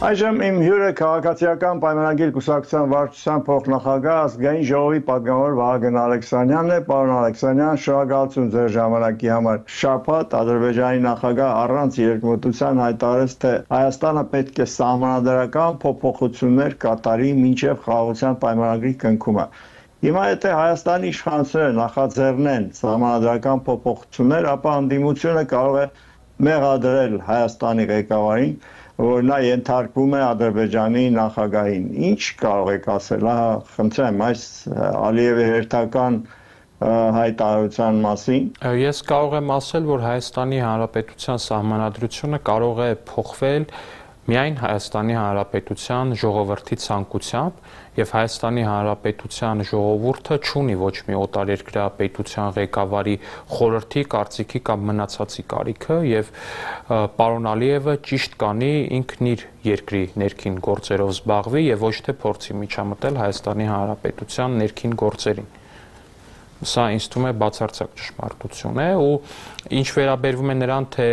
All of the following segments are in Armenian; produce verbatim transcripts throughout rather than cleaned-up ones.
Այժմ իմ հյուրը քաղաքացիական պայմանագիր կուսակցության վարչության փոխնախագահ ազգային ժողովի պատգամավոր Վահագն Ալեքսանյանն է։ Պարոն Ալեքսանյան, շնորհակալություն ձեր ժամանակի համար։ Շաբաթ Ադրբեջանի նախագահ առանց երկմտության հայտարարեց, թե Հայաստանը պետք է սահմանադրական փոփոխություններ կատարի մինչև խաղաղության պայմանագրի կնքումը։ Հիմա եթե Հայաստանի իշխանությունները նախաձեռնեն սահմանադրական փոփոխություններ, ապա ընդդիմությունը կարող է մեղադրել Հայաստանի ղեկավարին, որ նա ենթարկվում է Ադրբեջանի նախագահին։ Ինչ կարող եք ասել, ահա խնդրեմ, այս Ալիևի հերթական հայտարարության մասին։ Ես կարող եմ ասել, որ Հայաստանի Հանրապետության սահմանադրությունը կարող է փոխվել միայն Հայաստանի Հանրապետության ժողովրդի ցանկությամբ, եւ Հայաստանի Հանրապետության ժողովուրդը չունի ոչ մի օտարերկրյա պետության ղեկավարի խորհրդի, կարծիքի կամ մնացածի կարիքը, եւ պարոն Ալիևը ճիշտ կանի ինքն իր երկրի ներքին գործերով զբաղվի եւ ոչ թե փորձի միջամտել Հայաստանի Հանրապետության ներքին գործերին։ Սա ինձ թվում է բացարձակ ճշմարտություն է, ու ինչ վերաբերվում է նրան, թե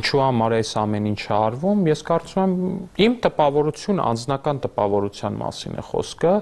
ինչու համար է այս ամեն ինչը արվում, ես կարծում եմ իմ տպավորությունը անձնական տպավորության մասին է խոսքը,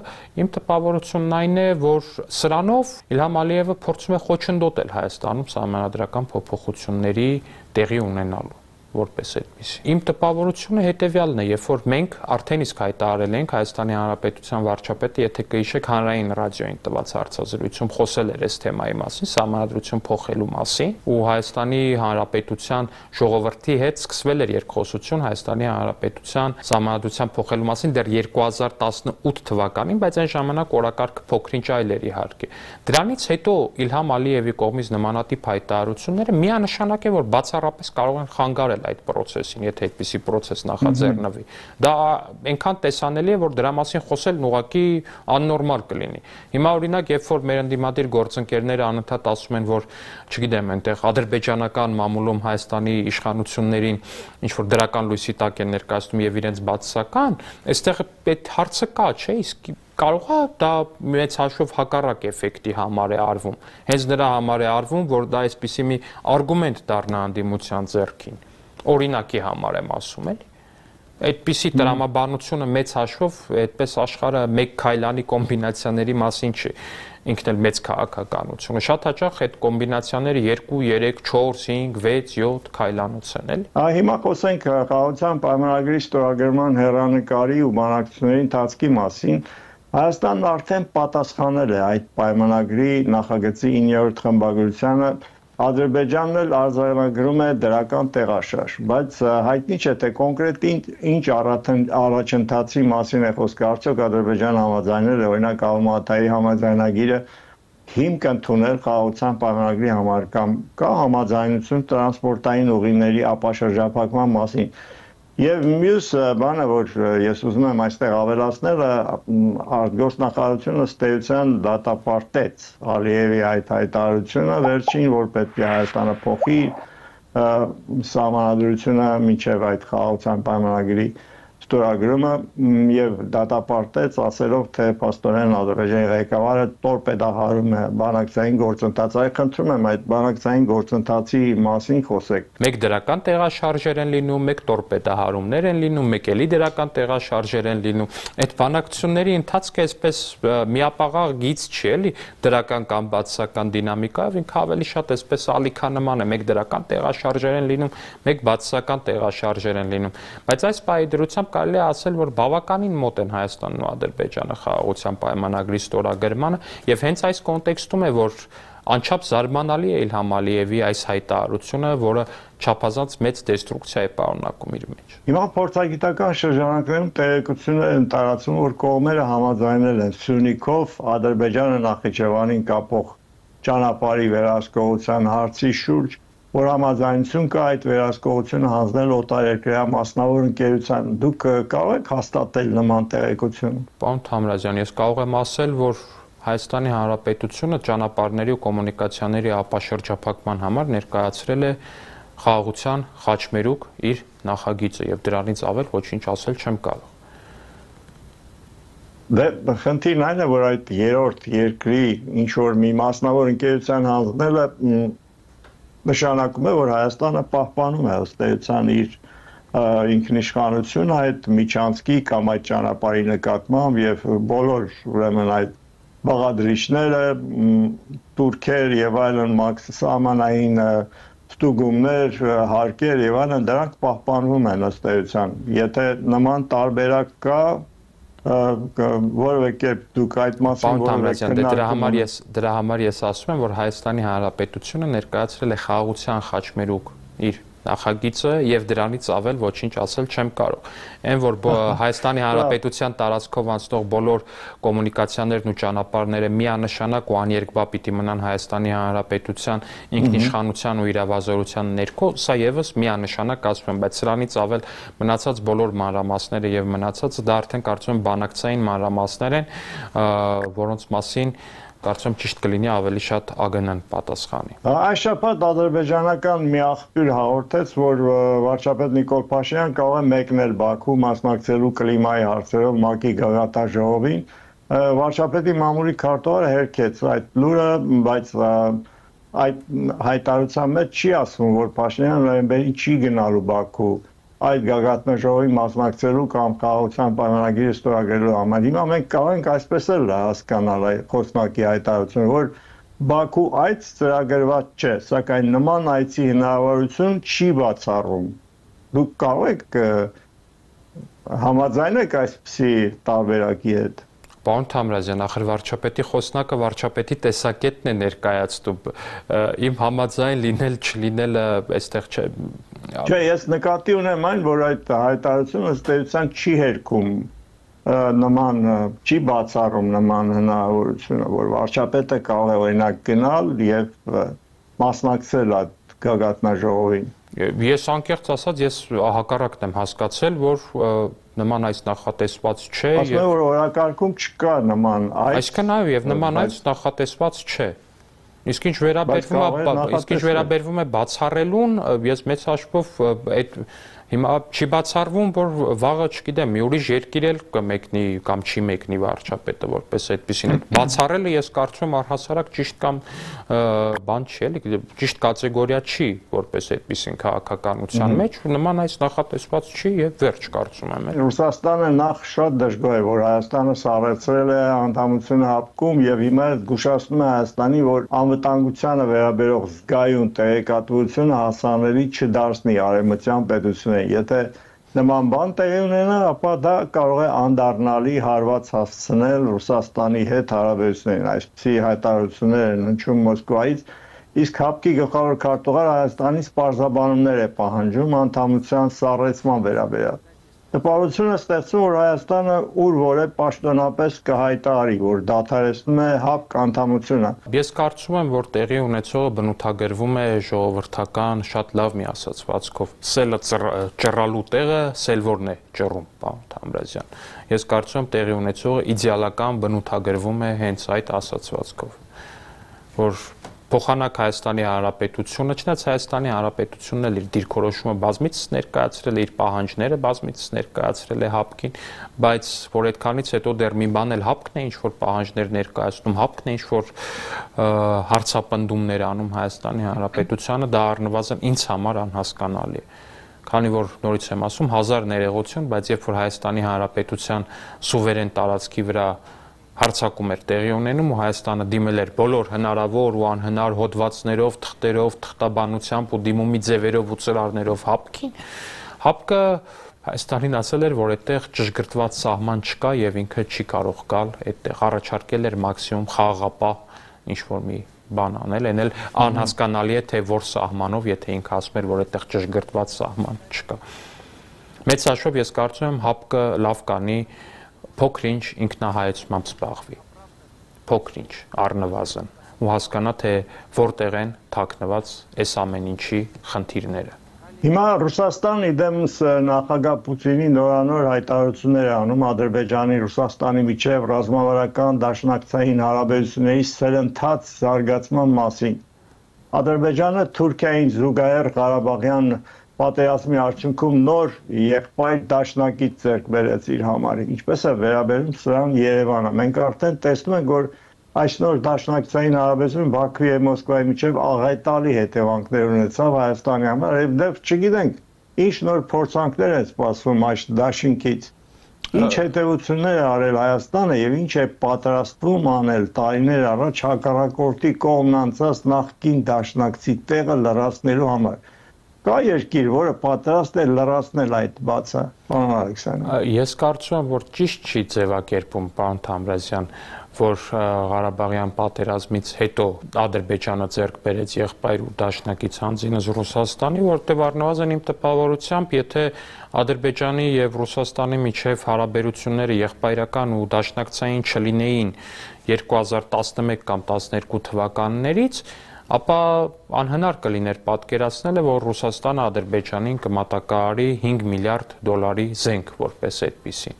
իմ տպավորությունն այն է, որ սրանով Իլհամ Ալիևը փորձում է խոչընդոտել Հայաստանում սահմանադրական փոփոխությունների տեղի ունենալու որպես այդպես։ Իմ տպավորությունը հետևյալն է, երբ որ մենք արդեն իսկ հայտարարել ենք Հայաստանի Հանրապետության վարչապետը, եթե կհիշեք, հանրային ռադիոյին տված հարցազրույցում խոսել էր այս թեմայի մասին, սահմանադրություն փոխելու մասին, ու Հայաստանի Հանրապետության ժողովրդի հետ սկսվել էր երկխոսություն Հայաստանի Հանրապետության սահմանադրության փոխելու մասին դեռ երկու հազար տասնութ թվականին, բայց այն ժամանակ օրակարգը փոքրինչ այլ էր իհարկե։ Դրանից հետո Իլհամ Ալիևի կողմից նմանատիպ հայտարարությունները միանշանակ է, որ բացառապես կարող են խանգարել այդ process-ին, եթե այդպիսի process նախաձեռնվի։ Դա այնքան տեսանելի է, որ դրա մասին խոսելն ուղղակի աննորմալ կլինի։ Հիմա օրինակ, երբ որ մեր ընդդիմադիր գործընկերները անընդհատ ասում են, որ, չգիտեմ, այնտեղ ադրբեջանական մամուլում Հայաստանի իշխանություններին ինչ որ դրական լույսի տակ են ներկայացնում եւ իրենց բացասական, այստեղ այդ հարցը կա, չէ՞, իսկ կարող է դա մեծ հաշվով հակառակ էֆեկտի համար է արվում։ Հենց նրա համար է արվում, որ դա այսպիսի մի արգումենտ դառնա ընդդիմության ձեռքին։ Օրինակի համար եմ ասում, էլի։ Այդպիսի տրամաբանությունը մեծ հաշվով այդպես աշխարհը մեկ քայլանի կոմբինացիաների մասին չի, ինքն էլ մեծ քաղաքականությունը։ Շատ հաճախ այդ կոմբինացիաները երկու, երեք, չորս, հինգ, վեց, յոթ քայլանոց են, էլի։ Հիմա խոսենք խաղաղության պայմանագրի ստորագրման հեռանկարի ու բանակցությունների ընթացքի մասին։ Հայաստանն արդեն պատասխանել է այդ պայմանագրի նախագծի իններորդ խմբագրությանը, Ադրբեջանն էլ արձանագրում է դրական տեղաշարժ, բայց հայտնի չէ, թե կոնկրետ ինչ առաջընթացի մասին է խոսքը, արդյոք Ադրբեջանը համաձայնել է, օրինակ Ալմատայի համաձայնագիրը հիմք ընդունել խաղաղության պայմանագրի համար, կամ կա համաձայնություն տրանսպորտային ուղիների ապաշրջափակման մասին։ Եվ մյուս բանը, որ ես ուզում եմ այստեղ ավելացնել, արտգործնախարարությունը ըստ էության դատապարտեց Ալիևի այդ հայտարարությունը, վերջին, որ պետք է Հայաստանը փոխի սահմանադրությունը մինչև այդ խաղաղության պայմանագրի ստորագրումը, եւ դատապարտեց, ասելով, թե փաստորեն Ադրբեջանի ղեկավարը տորպեդահարում է բանակցային գործընթացը։ Խնդրում եմ այդ բանակցային գործընթացի մասին խոսեք։ Մեկ դրական տեղաշարժեր են լինում, մեկ տորպեդահարումներ են լինում, մեկ էլի դրական տեղաշարժեր են լինում։ Այդ բանակցությունների ընթացքը այսպես միապաղաղ գիծ չի, էլի, դրական կամ բացասական դինամիկայով, ինքը ավելի շատ այսպես ալիքանման է, մեկ դրական տեղաշարժեր են լինում, մեկ բացասական տեղաշարժեր են լինում։ Բայց այս պահի դրությամբ կարելի է ասել, որ բավականին մոտ են Հայաստանն ու Ադրբեջանը խաղաղության պայմանագրի ստորագրմանը, եւ հենց այս կոնտեքստում է, որ անչափ զարմանալի է Իլհամ Ալիևի այս հայտարարությունը, որը չափազանց մեծ դեստրուկցիա է պարունակում իր մեջ։ Հիմա փորձագիտական շրջանակներում տեղեկություններ են տարածվում, որ կողմերը համաձայնել են Սյունիքով Ադրբեջանը Նախիջևանին կապող ճանապարհի վերահսկողության հարցի շուրջ, որ համաձայնություն կա այդ վերահսկողությունը հանձնել օտարերկրյա մասնավոր ընկերության։ Դուք կարող եք հաստատել նման տեղեկություն։ Պարոն Թամրազյան, ես կարող եմ ասել, որ Հայաստանի Հանրապետությունը ճանապարհների ու կոմունիկացիաների ապաշրջափակման համար ներկայացրել է խաղաղության խաչմերուկ իր նախագիծը, եւ դրանից ավել ոչինչ ասել չեմ կարող։ Դե խնդիրն այն է, որ այդ երրորդ երկրի ինչ որ մի մասնավոր ընկերության հանձնելը նշանակում է, որ Հայաստանը պահպանում է ըստ էության իր ինքնիշխանություն այդ միջանցքի կամ այդ ճանապարհի նկատմամբ եւ բոլոր ուրեմն այդ բաղադրիչները, турքեր եւ այլն մաքսամանային ստուգումներ, հարկեր եւ այլն դրանք պահպանվում են ըստ էության։ Եթե նման տարբերակ կա, որևէ կերպ դուք այդ մասին որևէ դրա համար ես դրա համար ես ասում եմ, որ Հայաստանի Հանրապետությունը ներկայացրել է խաղաղության խաչմերուկ իր նախագիծը եւ դրանից ավել ոչինչ ասել չեմ կարող։ Այն որ Հայաստանի Հանրապետության տարածքով անցնող բոլոր կոմունիկացիաներն ու ճանապարհները միանշանակ ու աներկբա պիտի մնան Հայաստանի Հանրապետության ինքնիշխանության ու իրավազորության ներքո, սա եւս միանշանակ ասում եմ, բայց սրանից ավել մնացած բոլոր մանրամասները եւ մնացածը դա արդեն կարծում եմ բանակցային մանրամասներ են, որոնց մասին կարծում եմ ճիշտ կլինի ավելի շատ ԱԳՆ-ն պատասխանի։ Այս շաբաթ ադրբեջանական մի աղբյուր հաղորդեց, որ վարչապետ Նիկոլ Փաշինյան կարող է մեկնել Բաքու մասնակցելու կլիմայի հարցերով ՄԱԿ-ի գագաթնաժողովին։ Վարչապետի մամուլի քարտուղարը հերքեց այդ լուրը, բայց այդ հայտարարության մեջ չի ասվում, որ Փաշինյանը նոյեմբերին չի գնալու Բաքու այդ գագաթնաժողովի մասնակցելու կամ խաղաղության պայմանագիրը ստորագրելու համար։ Հիմա մենք կարող ենք այսպես էլ հասկանալ այդ խոսնակի հայտարարությունը, որ Բաքու այց ծրագրված չէ, սակայն նման այցի հնարավորություն չի բացառում։ Դուք կարող եք համաձայնեք այսպիսի տարբերակի հետ։ Պարոն Թամրազյան, ախր վարչապետի խոսնակը վարչապետի տեսակետն է ներկայացնում։ Իմ համաձայն լինել չլինելը այստեղ չէ։ Չէ, ես նկատի ունեմ այն, որ այդ հայտարարությունը ըստ էության չի հերքում նման, չի բացառում նման հնարավորությունը, որ վարչապետը կարող է օրինակ գնալ եւ մասնակցել այդ գագաթնաժողովին։ Ես անկեղծ ասած, ես հակառակն եմ հասկացել, որ նման այս նախատեսված չէ։ Ասում եմ, որ օրակարգում չկա նման այց։ Այսինքն այո, եւ նման այց նախատեսված չէ։ Իսկ ինչ վերաբերվում է, իսկ ինչ վերաբերվում է բացառելուն, ես մեծ հաշվով այդ հիմա չի բացառվում, որ վաղը, չգիտեմ, մի ուրիշ երկիր էլ կմեկնի կամ չի մեկնի վարչապետը, որպես այդպեսին։ Բացառելը ես կարծում եմ առհասարակ ճիշտ կամ բան չի, էլի, ճիշտ կատեգորիա չի, որպես այդպեսին քաղաքականության մեջ, նման այս նախատեսված չի եւ վերջ կարծում եմ։ Ռուսաստանը նախ շատ դժգոհ է, որ Հայաստանը սառեցրել է անդամությունը հապկում եւ հիմա զգուշացնում է Հայաստանի, որ անվտանգությանը վերաբերող զգայուն տեղեկատվությունը հասանելի չդարձնի արևմտյան պետություններին։ Եթե նման բան տեղի ունենա, ապա դա կարող է անդառնալի հարված հասցնել Ռուսաստանի հետ հարաբերություններին։ Այսպիսի հայտարարություններ են հնչում Մոսկվայից, իսկ հապկի գլխավոր քարտուղարը Հայաստանից պարզաբանումներ է պահանջում անդամության սառեցման վերաբերյալ։ Տպավորություն է ստեղծում, որ Հայաստանը ուր որ է պաշտոնապես կհայտարարի, որ դադարեցնում է հապկ անդամությունը։ Ես կարծում եմ, որ տեղի ունեցողը բնութագրվում է ժողովրդական շատ լավ մի ասացվածքով։ Սելը ճռալու տեղը սելվորն է ճռում, պարոն Թամրազյան։ Ես կարծում եմ տեղի ունեցողը իդեալական բնութագրվում է հենց այդ ասացվածքով, որ փոխանակ Հայաստանի Հանրապետությունը, չնայած Հայաստանի Հանրապետությունն էլ իր դիրքորոշումը բազմիցս ներկայացրել է, իր պահանջները բազմիցս ներկայացրել է հապկին, բայց որ այդքանից հետո դեռ մի բան էլ հապկն է ինչ-որ պահանջներ ներկայացնում, հապկն է ինչ-որ հարցապնդումներ անում Հայաստանի Հանրապետությանը, դա առնվազն ինձ համար անհասկանալի է։ Քանի որ նորից եմ ասում, հազար ներողություն, բայց երբ որ Հայաստանի Հանրապետության սուվերեն տարածքի վրա հարցակում էր տեղի ունենում ու Հայաստանը դիմել էր բոլոր հնարավոր ու անհնար հոդվածներով, թղթերով, թղթաբանությամբ ու դիմումի ձևերով ու ծրարներով հապկին, հապկը Հայաստանին ասել էր, որ այդտեղ ճշգրտված սահման չկա եւ ինքը չի կարող գալ այդտեղ, առաջարկել էր մաքսիմում խաղաղապահ ինչ-որ մի բան անել, այն էլ անհասկանալի է, թե որ սահմանով, եթե ինքը ասում էր, որ այդտեղ ճշգրտված սահման չկա։ Մեծ հաշվով ես կարծում եմ հապկը լավ կանի փոքր-ինչ ինքնահայեցմամբ զբաղվի, փոքր-ինչ առնվազն ու հասկանա, թե որտեղ են թաքնված այս ամեն ինչի խնդիրները։ Հիմա Ռուսաստանը իդեմս նախագահ Պուտինի նորանոր հայտարարություններ է անում Ադրբեջանի, Ռուսաստանի միջև ռազմավարական դաշնակցային հարաբերությունների սերընթաց զարգացման մասին։ Ադրբեջանը Թուրքիային զուգահեռ Ղարաբաղյան պատերազմի արդյունքում նոր եղբայր դաշնակից ձեռք բերեց իր համար։ Ինչպես է վերաբերում սրան Երևանը։ Մենք արդեն տեսնում ենք, որ այս նոր դաշնակցային հարաբերությունը Բաքվի եւ Մոսկվայի միջև աղետալի հետևանքներ ունեցավ Հայաստանի համար, եւ դեռ չգիտենք ինչ նոր փորձանքներ են սպասվում այս դաշինքից։ Ինչ հետևություններ է արել Հայաստանը եւ ինչ է պատրաստվում անել տարիներ առաջ հակառակորդի կողմն անցած նախկին դաշնակցի տեղը լրացնելու համար։ Կա երկիր, որը պատրաստ է լրացնել այդ բացը, պարոն Ալեքսանյան։ Ես կարծում եմ, որ ճիշտ չի ձևակերպում, պարոն Թամրազյան, որ Ղարաբաղյան պատերազմից հետո Ադրբեջանը ձեռք բերեց եղբայր ու դաշնակից հանձինս Ռուսաստանի, որտեղ առնվազն իմ տպավորությամբ, եթե Ադրբեջանի եւ Ռուսաստանի միջև հարաբերությունները եղբայրական ու դաշնակցային չլինեին երկու հազար տասնմեկ կամ տասներկու թվականներից, ապա անհնար կլիներ պատկերացնելը, որ Ռուսաստանը Ադրբեջանին կմատակարարի հինգ միլիարդ դոլարի զենք որպես այդպիսին։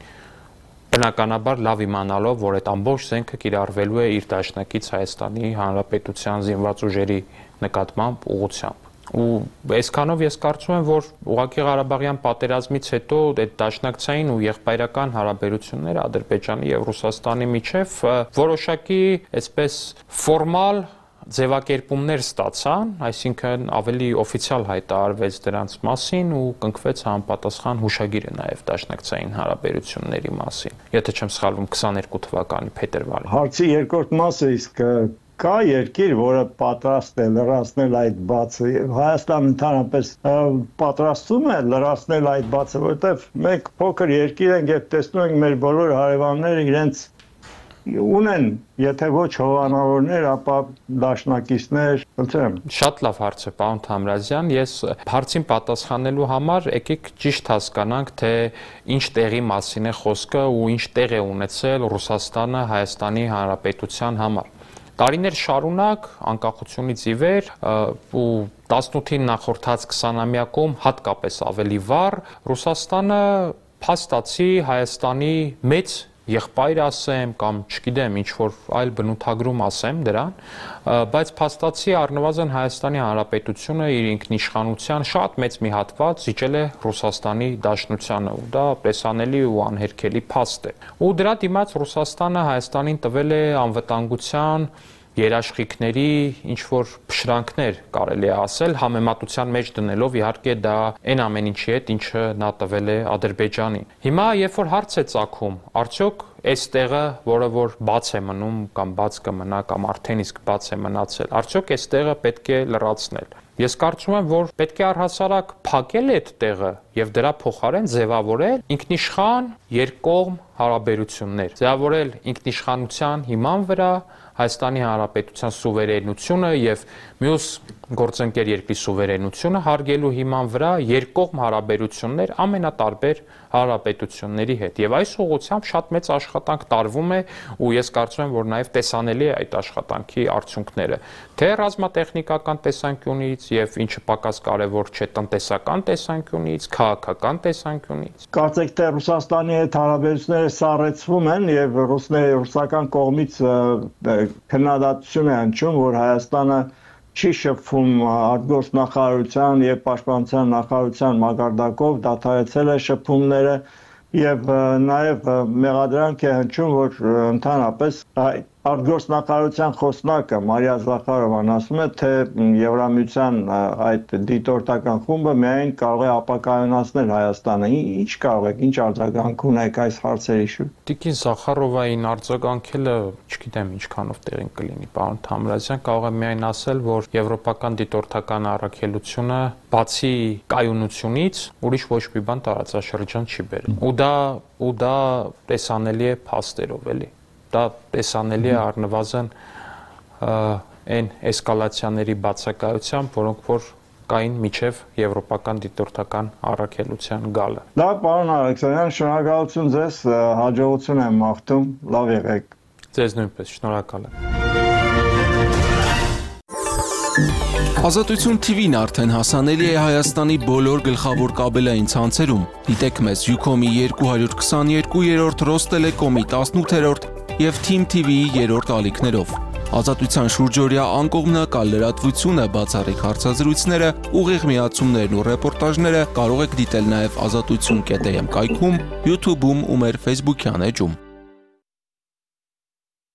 Բնականաբար լավ իմանալով, որ այդ ամբողջ զենքը կիրառվելու է իր դաշնակից Հայաստանի Հանրապետության զինված ուժերի նկատմամբ ուղղությամբ։ Ու այսքանով ես կարծում եմ, որ ուղղակի Ղարաբաղյան պատերազմից հետո այդ դաշնակցային ու եղբայրական հարաբերությունները Ադրբեջանի եւ Ռուսաստանի միջև որոշակի այսպես ֆորմալ ձևակերպումներ ստացան, այսինքն ավելի օֆիցիալ հայտարարվեց դրանց մասին ու կնքվեց համապատասխան հուշագիրը նաև դաշնակցային հարաբերությունների մասին։ Եթե չեմ սխալվում, քսաներկու թվականի փետրվարին։ Հարցի երկրորդ մասը իսկ կա երկիր, որը պատրաստ է լրացնել այդ բացը։ Հայաստանը ընդհանրապես պատրաստվում է լրացնել այդ բացը, որովհետև մենք փոքր երկիր ենք եւ տեսնում ենք մեր բոլոր հարևանները իրենց ունեն, եթե ոչ հովանավորներ, ապա դաշնակիցներ, ըլցեմ։ Շատ լավ հարց է, պարոն Թամրազյան, ես հարցին պատասխանելու համար եկեք ճիշտ հասկանանք, թե ինչ տեղի մասին է խոսքը ու ինչ տեղ է ունեցել Ռուսաստանը Հայաստանի Հանրապետության համար։ Տարիներ շարունակ անկախությունից ի վեր ու տասնութին նախորդած քսանամյակում հատկապես ավելի վառ Ռուսաստանը փաստացի Հայաստանի մեծ եղբայր ասեմ կամ չգիտեմ ինչ որ այլ բնութագրում ասեմ դրան, բայց փաստացի առնվազն Հայաստանի Հանրապետությունը իր ինքնիշխանության շատ մեծ մի հատված զիջել է Ռուսաստանի Դաշնությանը ու դա տեսանելի ու անհերքելի փաստ է։ Ու դրա դիմաց Ռուսաստանը Հայաստանին տվել է անվտանգության երաշխիքների ինչ որ փշրանքներ կարելի է ասել, համեմատության մեջ դնելով իհարկե դա այն ամեն ինչի հետ, ինչը նա տվել է Ադրբեջանին։ Հիմա երբ որ հարց է ծագում, արդյոք այս տեղը, որը որ բաց է մնում կամ բաց կմնա կամ արդեն իսկ բաց է մնացել, արդյոք այս տեղը պետք է լրացնել։ Ես կարծում եմ, որ պետք է առհասարակ փակել այդ տեղը եւ դրա փոխարեն ձևավորել ինքնիշխան երկկողմ հարաբերություններ, ձևավորել ինքնիշխանության հիման վրա Հայաստանի Հանրապետության սուվերենությունը եւ մյուս գործընկեր երկրի սուվերենությունը հարգելու հիման վրա երկկողմ հարաբերություններ ամենատարբեր հանրապետությունների հետ եւ այս ուղղությամբ շատ մեծ աշխատանք տարվում է ու ես կարծում եմ, որ նաեւ տեսանելի է այդ աշխատանքի արդյունքները թե ռազմատեխնիկական տեսանկյունից եւ ինչը պակաս կարեւոր չէ տնտեսական տեսանկյունից, քաղաքական տեսանկյունից։ Կարծեք թե Ռուսաստանի հետ հարաբերությունները սառեցվում են եւ ռուսների ռուսական կողմից քննադատություն է հնչում, որ Հայաստանը չի շփվում արտգործնախարարության եւ պաշտպանության նախարարության մակարդակով, դադարեցել է շփումները եւ նաեւ մեղադրանք է հնչում, որ ընդհանրապես արտգործնախարարության խոսնակը Մարիա Զախարովան ասում է, թե Եվրամիության այդ դիտորդական խումբը միայն կարող է ապակայունացնել Հայաստանը։ Ինչ կարող եք, ինչ արձագանք ունեք այս հարցերի շուրջ։ Տիկին Զախարովային արձագանքելը, չգիտեմ ինչքանով տեղին կլինի, պարոն Թամրազյան, կարող եմ միայն ասել, որ եվրոպական դիտորդական առաքելությունը բացի կայունությունից ուրիշ ոչ մի բան տարածաշրջան չի բերել։ Ու դա ու դա տեսանելի է փաստերով, էլի։ Դա տեսանելի է առնվազն այն էսկալացիաների բացակայությամբ, որոնք որ կային միջև եվրոպական դիտորդական առաքելության գալը։ Լավ, պարոն Ալեքսանյան, շնորհակալություն ձեզ, հաջողություն եմ մաղթում, լավ եղեք։ Ձեզ նույնպես, շնորհակալ եմ։ Ազատություն թի վին արդեն հասանելի է Հայաստանի բոլոր գլխավոր կաբելային ցանցերում։ Դիտեք մեզ Ucom-ի երկու հարյուր քսաներկու, Ռոստելեկոմի տասնութերորդ և Թիմ թի վիի երրորդ ալիքներով։ Ազատության շուրջօրյա անկողմնակալ լրատվությունը, բացառիկ հարցազրույցները, ուղիղ միացումներն ու ռեպորտաժները կարող եք դիտել նաև ազատություն կետ էմ կայքում, YouTube-ում ու մեր Facebook-յան էջում։